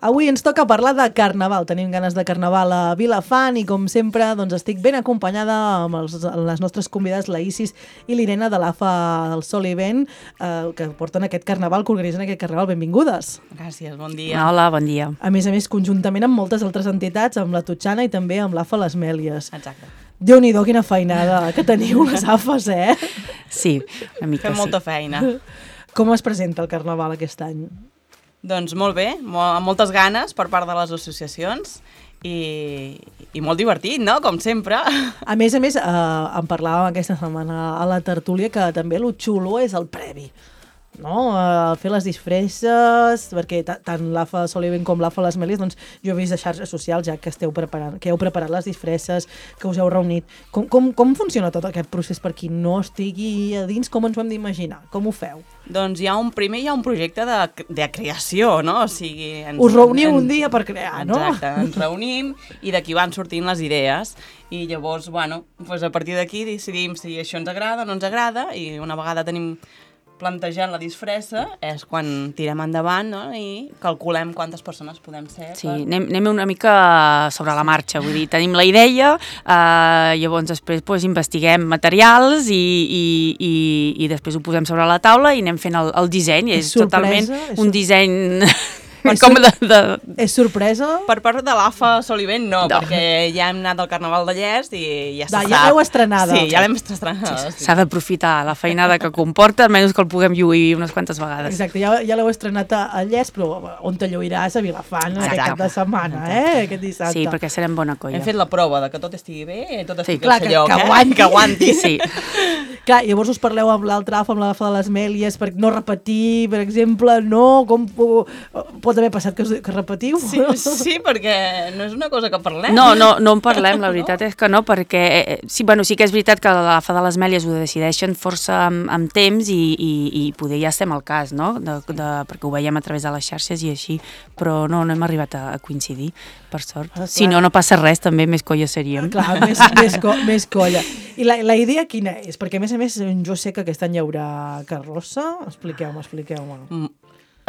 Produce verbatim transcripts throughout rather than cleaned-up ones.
Avui ens toca parlar de carnaval. Tenim ganes de carnaval a Vilafant i, com sempre, doncs estic ben acompanyada amb els, les nostres convidades, la Isis i l'Irene de l'A F A del Sol i Vent, eh, que porten aquest carnaval, que organitzen aquest carnaval. Benvingudes. Gràcies, bon dia. Hola, bon dia. A més a més, conjuntament amb moltes altres entitats, amb la Totxana i també amb l'A F A Les Mèlies. Exacte. Déu-n'hi-do, quina feinada que teniu les A F As, eh? Sí, una mica Fem sí. molta feina. Com es presenta el carnaval aquest any? Doncs molt bé, molt, amb moltes ganes per part de les associacions i, i molt divertit, no?, com sempre. A més a més, eh, en parlàvem aquesta setmana a la tertúlia que també lo xulo és el previ, no? Uh, fer les disfresses, perquè tant l'A F A Sol i Vent com l'A F A Les Mèlies, doncs jo he vist a xarxes socials ja que esteu preparant, que heu preparat les disfresses, que us heu reunit. Com, com, com funciona tot aquest procés per qui no estigui a dins? Com ens ho hem d'imaginar? Com ho feu? Doncs hi ha un, primer hi ha un projecte de, de creació, no? O sigui... Ens, Us reuniu en, un dia per crear, no? Exacte, ens reunim i d'aquí van sortint les idees i llavors, bueno, doncs a partir d'aquí decidim si això ens agrada o no ens agrada i una vegada tenim plantejant la disfressa és quan tirem endavant, no? I calculem quantes persones podem ser. Sí, per... anem, anem una mica sobre la marxa, vull dir, tenim la idea, eh, llavors després pues, investiguem materials i, i, i, i després ho posem sobre la taula i anem fent el, el disseny. És és sorpresa, totalment és un sor- disseny... És com sor- de, de... És sorpresa? Per part de l'A F A Sol i Vent, no, No. perquè ja hem anat al Carnaval de Llest i ja se Da, sap. ja l'heu estrenada. Sí, ja l'hem estrenada. Sí. S'ha d'aprofitar la feinada que comporta, almenys que el puguem lluir unes quantes vegades. Exacte, ja, ja l'heu estrenat a, a Llest, però on te lluiràs a Vilafant aquest Exacte. cap de setmana, eh? Aquest dissabte. Sí, perquè serem bona colla. Hem fet la prova de que tot estigui bé, tot Sí. estigui Clar, al que- seu lloc, que eh? aguanti. Que aguanti. Sí. Clar, llavors us parleu amb l'altre A F A, amb l'A F A de les Mèlies, per no repetir, per exemple, no? Com po- pot haver passat que, us, que repetiu? Sí, sí, perquè no és una cosa que parlem. No, no, no en parlem, la veritat és que no, perquè eh, sí, bueno, sí que és veritat que l'A F A de les Mèlies ho decideixen força amb, amb temps i, i, i poder ja estem al cas, no? De, de, perquè ho veiem a través de les xarxes i així, però no, no hem arribat a, a coincidir, per sort. Ah, Si no, no passa res, també més colla seríem. Clar, més, més, co més colla. I la, la idea quina és? Perquè, a més a més, jo sé que aquest any hi haurà carrossa. Expliqueu-me, expliqueu-me. Mm,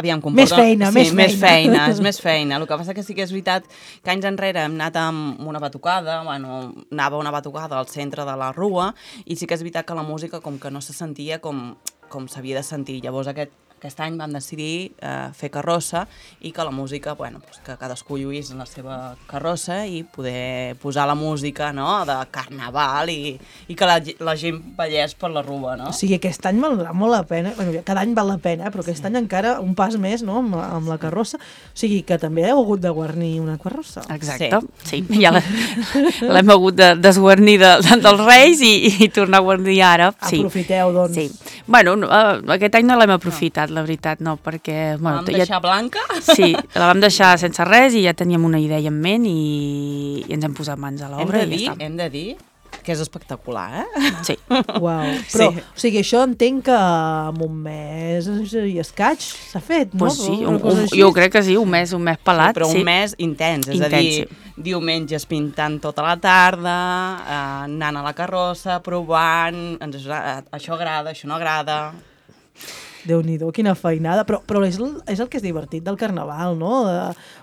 Aviam, comporta... Més feina, sí, més feina. més feina. És més feina. El que passa que sí que és veritat que anys enrere hem anat amb una batucada, bueno, anava una batucada al centre de la rua, i sí que és veritat que la música com que no se sentia com, com s'havia de sentir. Llavors aquest, aquest any vam decidir eh, fer carrossa i que la música, bueno, pues que cadascú lluís en la seva carrossa i poder posar la música, no?, de carnaval i, i que la, la gent ballés per la rua, no? O sigui, aquest any valdrà molt la pena, bueno, cada any val la pena, però aquest sí. any encara un pas més, no?, amb, amb la carrossa. O sigui, que també heu hagut de guarnir una carrossa. Exacte, sí. sí. Ja l'hem hagut de desguarnir de, de, dels Reis i, i tornar a guarnir ara. Sí. Aprofiteu, doncs. Sí. Bueno, no, uh, aquest any no l'hem aprofitat, la veritat, no, perquè... La Bueno, vam deixar blanca? Sí, la vam deixar sense res i ja teníem una idea en ment i, i ens hem posat mans a Hem l'obra de i dir, ja està. hem de dir que és espectacular, eh? Sí. Uau. Però, Sí. o sigui, això entenc que en un mes i escaig s'ha fet, no? Pues sí, Una un, cosa un, així. jo crec que sí, un mes, un mes pelat, Però un sí. mes intens, és Intens, a dir, diumenges pintant tota la tarda, eh, anant a la carrossa, provant, ens, eh, això agrada, això no agrada... Déu-n'hi-do, quina feinada, però, però és, el, és el que és divertit del carnaval, no? De,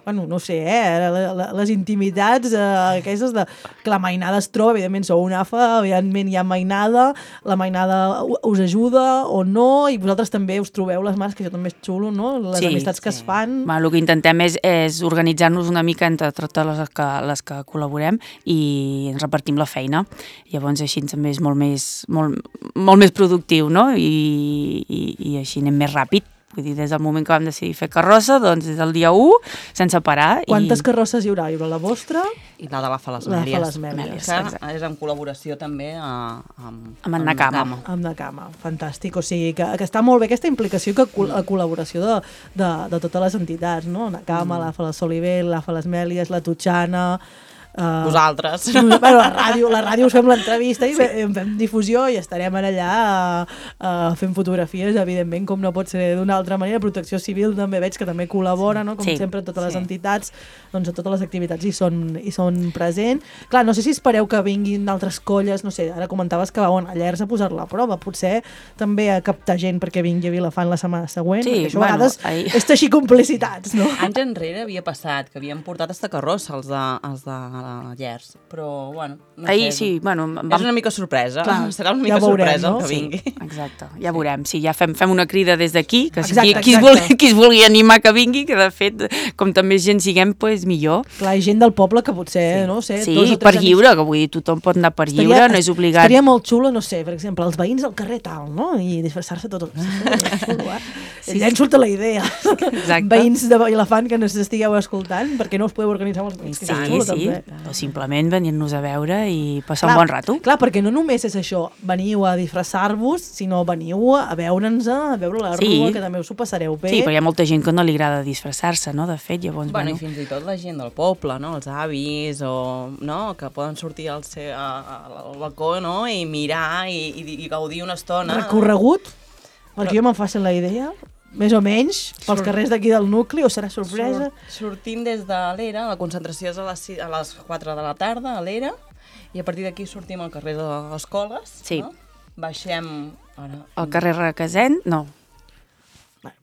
bueno, no sé, eh? La, la, les intimitats eh, aquestes de... Que la mainada es troba, evidentment sou un A F A, evidentment hi ha mainada, la mainada us ajuda o no, i vosaltres també us trobeu les mans, que això també és xulo, no? Les Sí, amistats que sí. es fan... Bueno, el que intentem és, és organitzar-nos una mica entre totes les que, les que col·laborem i ens repartim la feina. Llavors així també és molt més, molt, molt més productiu, no? I, i, i així anem més ràpid. Vull dir, des del moment que vam decidir fer carrossa, doncs des del dia u, sense parar. Quantes i... carrosses hi haurà? Hi haurà la vostra? I la de l'A F A Les La de Mèlies. les Mèlies, Que exacte. és en col·laboració també a, amb, Amb en Nakama. Amb de cama, fantàstic. O sigui, que, que està molt bé aquesta implicació, que col la col·laboració de, de, de totes les entitats, no? Nakama, mm. l'A F A La Sol i Vent, l'A F A Les Mèlies, la Totxana... Uh, Vosaltres. Bueno, la ràdio, la ràdio us fem l'entrevista i sí. en fem difusió i estarem allà uh, uh, fent fotografies, evidentment, com no pot ser d'una altra manera. Protecció Civil també veig que també col·labora, no? Com sí. sempre, totes les sí. entitats, doncs a totes les activitats hi són, hi són present. Clar, no sé si espereu que vinguin altres colles, no sé, ara comentaves que vau a Llers a posar-la a prova, potser també a captar gent perquè vingui a Vilafant la setmana següent, sí, perquè això bueno, a vegades ahir... és teixir complicitats, no? Anys enrere havia passat, que havien portat hasta carrossa els de, els de Llers, però, bueno, no ahir sé, sí, bueno... Vam... És una mica sorpresa, Clar, serà una mica ja veurem, sorpresa no? el que vingui. Sí, exacte, ja veurem. Sí, ja fem, fem una crida des d'aquí, que si Exacte, qui, qui, es exacte. vulgui, qui es vulgui animar que vingui, que de fet, com també gent siguem, pues, millor. Clar, hi ha gent del poble que potser, Sí. no sé, Sí, dos o per tres lliure, que vull dir, tothom pot anar per lliure, no és obligat. Estaria molt xulo, no sé, per exemple, els veïns del carrer tal, no? I disfressar-se tots. Sí, xulo, eh? Sí. Llenço la idea. Exacte. Veïns de Vilafant que ens estigueu escoltant, perquè no us podeu organitzar amb els veïns. Sí, que és xulo, sí, també. o simplement venir-nos a veure i passar Clar, un bon rato. Clar, perquè no només és això, veniu a disfressar-vos, sinó veniu a veure'ns, a veure la Sí. rua, que també us ho passareu bé. Sí, però hi ha molta gent que no li agrada disfressar-se, no?, de fet, llavors, Bueno, bueno... i fins i tot la gent del poble, no? Els avis, o, no? Que poden sortir al, seu, a, al balcó, no? I mirar i, i, i gaudir una estona. Recorregut, perquè jo me'n faci la idea, més o menys, pels Surt- carrers d'aquí del nucli, o serà sorpresa? Surt, sortim des de l'Era, la concentració és a les, sis- a les quatre de la tarda a l'Era, i a partir d'aquí sortim al carrer de les Coles, Sí. no? Baixem... Ara, Al carrer Requesent, no.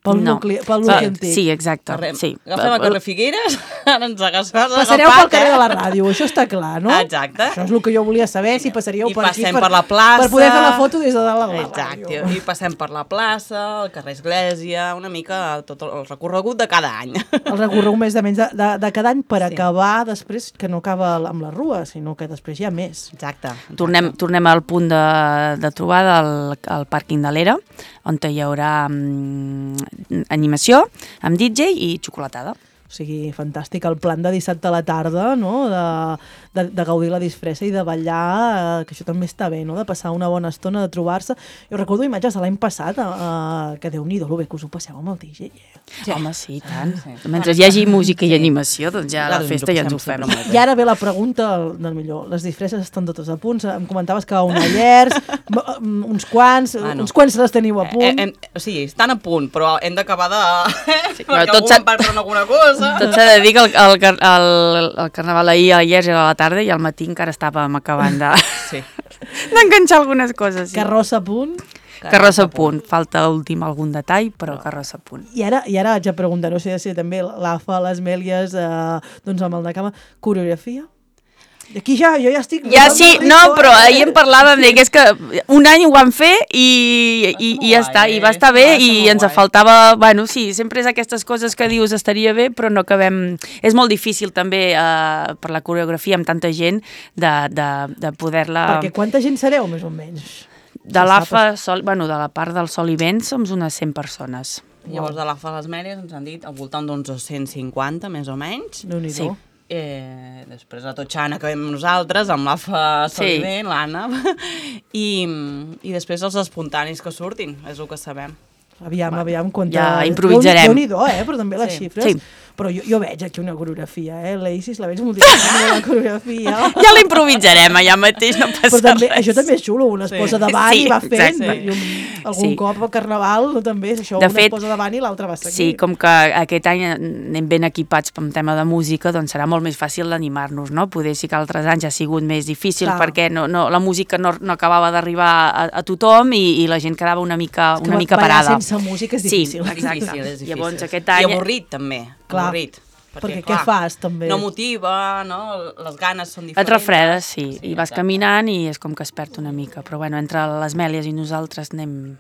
Pel no. nucli, pel Ah, nucli antic. sí, exacte. Carrer, Sí. agafem el carrer Figueres, ara ens agafem... Passareu pel carrer de la ràdio, això està clar, no? Exacte. Això és el que jo volia saber, si passaríeu I per aquí passem per, per la plaça. per poder fer la foto des de dalt de la Exacte, ràdio. i passem per la plaça, el carrer Església, una mica tot el recorregut de cada any. El recorregut més de menys de, de, de cada any per Sí. acabar després, que no acaba amb la rua, sinó que després hi ha més. Exacte. exacte. Tornem, tornem al punt de, de trobada al, al pàrquing de l'Era, on hi haurà mm, animació amb D J i xocolatada. O sigui, fantàstic el plan de dissabte a la tarda, no? de, de, de gaudir la disfressa i de ballar, eh, que això també està bé, no? De passar una bona estona, de trobar-se. Jo recordo imatges de l'any passat, eh, que Déu-n'hi-do, el bé que us ho passeu amb el D J. Eh? Sí. Home, sí, i tant. Sí. Mentre hi hagi música i Sí. animació, doncs ja la ens ho festa ja ens ho passem fem. sempre molt bé. I ara ve la pregunta del millor. Les disfresses estan totes a punt. Em comentaves que a una Llers, m- uns quants, Bueno. uns quants les teniu a punt. Eh, hem, o sigui, estan a punt, però hem d'acabar de... Sí, però perquè tot algú s'ha- em va per alguna cosa. Tot s'ha de dir que el, el, car- el, el carnaval ahir a Llers era a la tarda i al matí encara estàvem acabant de- Sí. d'enganxar algunes coses. Sí. Carrossa a punt. Carrossa a punt. Falta últim algun detall, però carrossa a punt. I ara, i ara haig de preguntar, no sé si també l'A F A, les Mèlies, eh, doncs amb el de cama, coreografia? I aquí ja, jo ja estic... Ja posant sí, el no, ritme, però eh? ahir en parlàvem de que és que un any ho vam fer i, i, i ja molt està, guai, i va eh? estar bé Va ser i molt ens guai. faltava, bueno, sí, sempre és aquestes coses que dius estaria bé, però no acabem... És molt difícil també eh, per la coreografia amb tanta gent de, de, de poder-la... Perquè quanta gent sereu, més o menys? De l'A F A, sol, bueno, de la part del Sol i Vent, som unes cent persones. Llavors, de l'A F A les Mèries ens han dit al voltant d'uns dos-cents cinquanta, més o menys. Déu-n'hi-do. Sí. Eh, després a Totxana que vam nosaltres, amb l'A F A Solivent, sí. l'Anna, i, i després els espontanis que surtin, és el que sabem. Aviam, Va. aviam, quanta... Ja improvisarem. Déu-n'hi-do, eh? Però també les Sí. xifres. Sí. Però jo, jo veig aquí una coreografia, eh? L'Isis la veig moltíssim, la coreografia. Ja la improvisarem, allà mateix no passa Però també, res. això també és xulo, una es Sí. posa davant Sí, i va fent. exacte. I un, algun Sí. cop a Carnaval no, també és això, De una fet, es posa davant i l'altra va seguir. Sí, com que aquest any anem ben equipats amb tema de música, doncs serà molt més fàcil d'animar-nos, no? Poder sí que altres anys ha sigut més difícil Clar. perquè no, no, la música no, no acabava d'arribar a, a tothom i, i la gent quedava una mica, És que una mica ballar parada. sense música és Sí, difícil. exacte. Difícil, és difícil. Llavors aquest any... I avorrit, també. Clar. Avorrit. Perquè què fas, també? No motiva, no? Les ganes són Et diferents. refredes, sí, sí i vas exacte. caminant i és com que es perd una mica. Però bueno, entre les Mèlies i nosaltres anem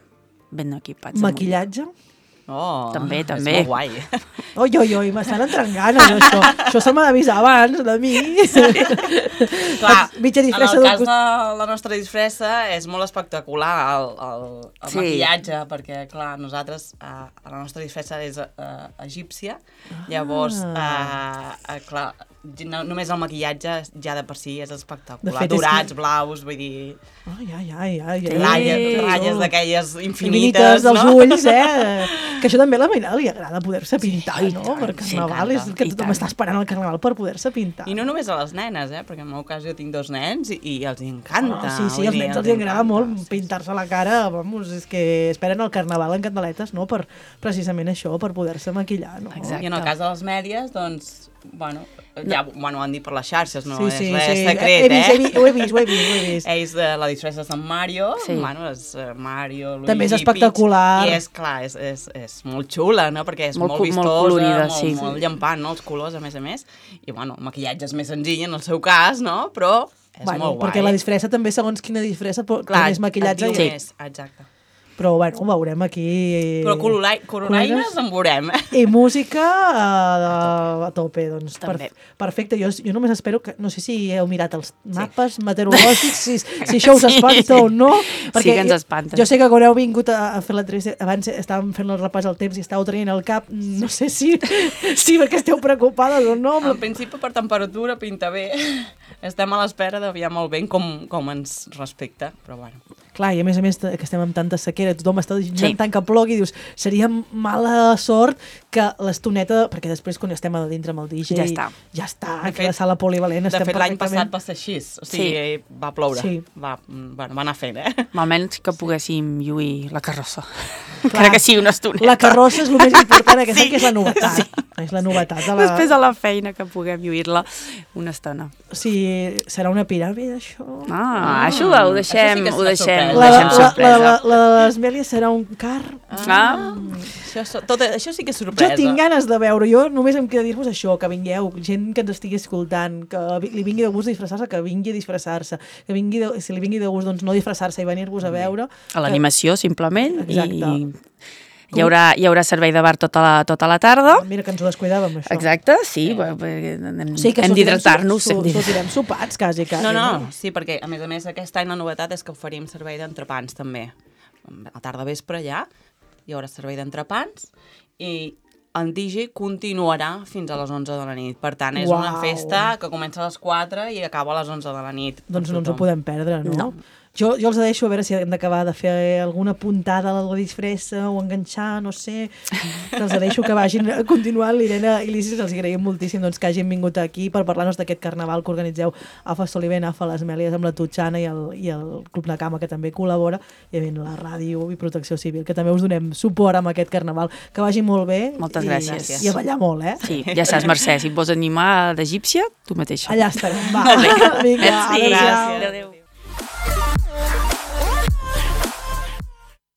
ben equipats. Maquillatge? Oh, També, és també. molt guai. Oi, oi, oi, m'estan entrant ganes, això. Això se m'ha d'avisar abans, de mi. Clar, Mitja en disfressa el del cas costat. de la nostra disfressa és molt espectacular el, el, el Sí. maquillatge, perquè, clar, nosaltres, eh, la nostra disfressa és eh, egípcia, llavors, eh, eh, clar, no, només el maquillatge ja de per si és espectacular. De fet, Dorats, és que... blaus, vull dir... Ai, ai, ai, ai. ai ratlles, ratlles oh. d'aquelles infinites, infinites dels no? ulls, eh? Que això també a la Mainada li agrada poder-se pintar, sí, no? tant, Per Carnaval, sí, és que i tothom tant. està esperant el Carnaval per poder-se pintar. I no només a les nenes, eh? Perquè en el meu cas jo tinc dos nens i, i els encanta. Oh, sí, sí, vull als dir, nens els agrada encanta. molt pintar-se la cara, vamos, és que esperen el Carnaval en candeletes, no? Per precisament això, per poder-se maquillar, no? Exacte. I en el cas de les mèdies, doncs, bueno, ja bueno, ho han dit per les xarxes, no sí, és sí, res sí. secret, he vist, eh? He vist, ho he vist, ho he vist, ho he vist. Ells de la disfressa de Sant Mario, Sí. bueno, és uh, Mario, Luigi, També és Peach, espectacular. I és, clar, és, és, és molt xula, no? Perquè és Molt molt, co- vistosa, molt colorida, molt, sí. molt llampant, no? Els colors, a més a més. I, bueno, el maquillatge és més senzill en el seu cas, no? Però és Bueno, molt guai. perquè la disfressa també, segons quina disfressa, però Clar, més maquillatge. et diu i- més, exacte. Però, bueno, ho veurem aquí. Però colorai- coronaines Coronaines? en veurem. I música uh, a tope, doncs. També. Perfecte, jo, jo només espero que... No sé si heu mirat els mapes sí. meteorològics, si, si això us espanta Sí. o no. Sí que ens espanta. Jo sé que quan heu vingut a, a fer l'entrevista, abans estàvem fent el repàs al temps i estàveu traient el cap, no sé si, si perquè esteu preocupades o no. En principi, per temperatura, pinta bé. Estem a l'espera d'aviam el vent com, com ens respecta, però bueno. Clar, i a més a més que estem amb tanta sequera, tothom està Sí. sí. tant que plogui, dius, seria mala sort que l'estoneta, perquè després quan estem a dintre amb el D J, Ja està. ja està, De que fet- la sala polivalent De estem fet, l'any passat perfectament... va ser així, o sigui, Sí. va ploure. Sí. Va, bueno, va anar fent, eh? Almenys que poguéssim lluir la carrossa. Clar. Encara que sigui una estoneta. La carrossa és el més important, aquesta Sí. que és la novetat. Sí. És la novetat. De la... Després de la feina que puguem lluir-la una estona. Si serà una piràmide, això... Ah, això ho deixem, Això sí que és ho una deixem, sorpresa. ho La, deixem la, la, sorpresa. la, la de les Mèlies serà un car... Ah, Això, so- tot, això sí que és Jo sorpresa. tinc ganes de veure, jo només em queda dir-vos això, que vingueu, gent que ens estigui escoltant, que vi- li vingui de gust disfressar-se, que vingui a disfressar-se, que vingui de, si li vingui de gust doncs no disfressar-se i venir-vos a veure. a l'animació, simplement. Exacte. I hi haurà, hi haurà servei de bar tota la, tota la tarda. Mira que ens ho descuidàvem, això. Exacte, sí, sí. Hem, Sí, que hem sortirem d'hidratar-nos. su- hem su- d'hidratar- Sortirem sopats, quasi, quasi. No, no, sí, perquè a més a més aquest any la novetat és que oferim servei d'entrepans també. A tarda vespre ja hi haurà servei d'entrepans i el D J continuarà fins a les onze de la nit. Per tant, és Uau. una festa que comença a les quatre i acaba a les onze de la nit. Doncs per no ens ho tothom. podem perdre, no? No. Jo, jo els deixo a veure si hem d'acabar de fer alguna puntada a la disfressa o enganxar, no sé. Els deixo que vagin continuant. L'Irene i l'Isis els agraïm moltíssim doncs, que hagin vingut aquí per parlar-nos d'aquest carnaval que organitzeu a Fa Solivent, a Fa les Mèlies, amb la Tutxana i el, i el Club Nakama, que també col·labora, i evidentment la ràdio i Protecció Civil, que també us donem suport amb aquest carnaval. Que vagi molt bé. Moltes i, gràcies. I a ballar molt, eh? Sí, ja saps, Mercè, si et vols animar d'egípcia, tu mateixa. Allà estarem. Va. Vinga, Merci, adéu-siau. gràcies. Adéu.